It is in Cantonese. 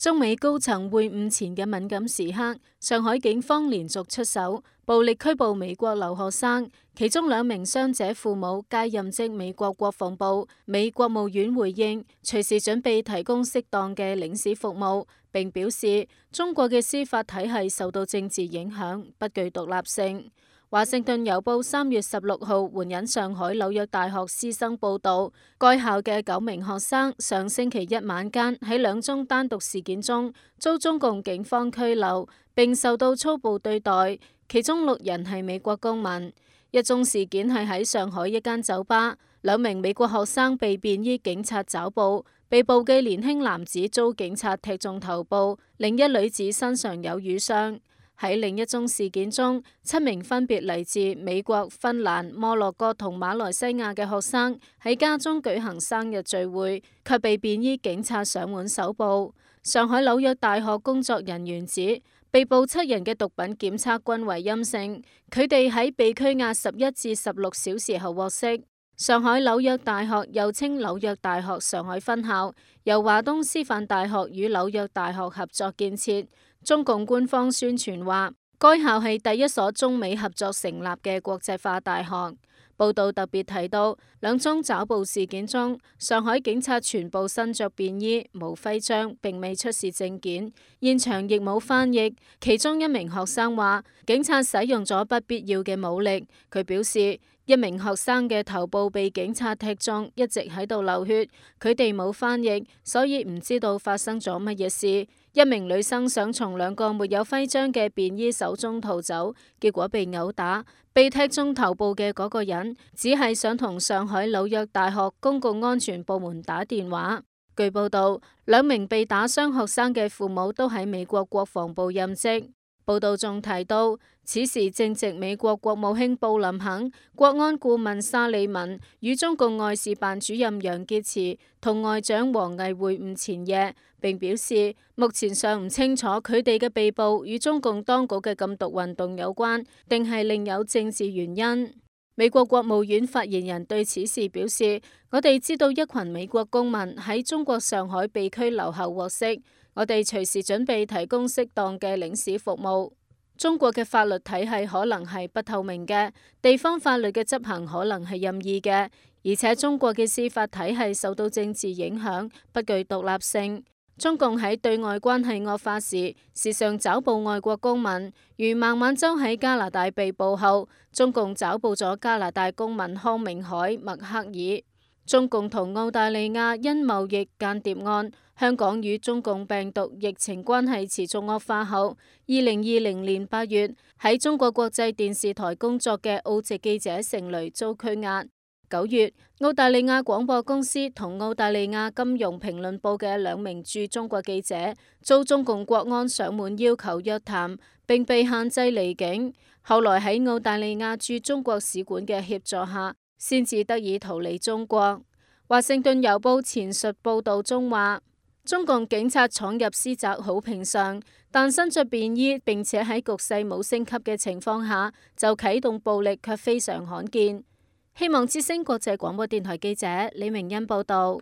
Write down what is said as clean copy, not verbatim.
中美高層會晤前嘅敏感時刻，上海警方連續出手，暴力拘捕美國留學生，其中2名傷者父母皆任職美國國防部。美國務院回應，隨時準備提供適當嘅領事服務，並表示中國嘅司法體系受到政治影響，不具獨立性。華盛頓郵報3月16號援引上海紐約大學師生報道，該校嘅9名學生上星期一晚間喺2宗單獨事件中遭中共警方拘留，並受到粗暴對待，其中6人係美國公民。1宗事件係喺上海一間酒吧，2名美國學生被便衣警察抓捕，被捕嘅年輕男子遭警察踢中頭部，另一女子身上有瘀傷。喺另一宗事件中，7名分別嚟自美國、芬蘭、摩洛哥同馬來西亞嘅學生喺家中舉行生日聚會，卻被便衣警察上門搜捕。上海紐約大學工作人員指，被捕7人嘅毒品檢測均為陰性，佢哋喺被拘押11至16小時後獲釋。上海紐約大學又稱紐約大學上海分校，由華東師範大學與紐約大學合作建設。中共官方宣傳話，該校係第一所中美合作成立嘅國際化大學。報道特別提到，2宗抓捕事件中，上海警察全部身着便衣、無徽章，並未出示證件，現場亦冇翻譯。其中1名學生話，警察使用咗不必要嘅武力。佢表示，1名學生嘅頭部被警察踢中，一直喺度流血，佢哋冇翻譯，所以唔知道發生咗乜嘢事。1名女生想從2個沒有徽章嘅便衣手中逃走，結果被毆打。被踢中頭部嘅嗰個人只係想同上海紐約大學公共安全部門打電話。據報道，2名被打傷學生嘅父母都喺美國國防部任職。報道仲提到，此時正值美國國務卿布林肯、國安顧問沙利文與中共外事辦主任楊潔篪同外長王毅會晤前夜，並表示目前尚唔清楚佢哋嘅被捕與中共當局嘅禁毒運動有關，定係另有政治原因。美國國務院發言人對此事表示，我哋知道一群美國公民喺中國上海被拘留後獲釋，我哋隨時準備提供適當嘅領事服務。中國嘅法律體系可能係不透明嘅，地方法律嘅執行可能係任意嘅，而且中國嘅司法體系受到政治影響，不具獨立性。中共喺對外關係惡化時，時常抓捕外國公民，如孟晚舟喺加拿大被捕後，中共抓捕咗加拿大公民康明凱、麥克爾。中共同澳大利亞因貿易間諜案，香港與中共病毒疫情關係持續惡化後，2020年8月喺中國國際電視台工作嘅澳籍記者成蕾遭拘押。9月，澳大利亞廣播公司同澳大利亞金融評論報嘅2名駐中國記者遭中共國安上門要求約談，並被限制離境。後來喺澳大利亞駐中國使館嘅協助下，先至得以逃離中國。華盛頓郵報前述報道中話，中共警察闖入私宅好平常，但身着便衣並且喺局勢冇升級嘅情況下就啟動暴力卻非常罕見。希望之聲國際廣播電台記者李明恩報道。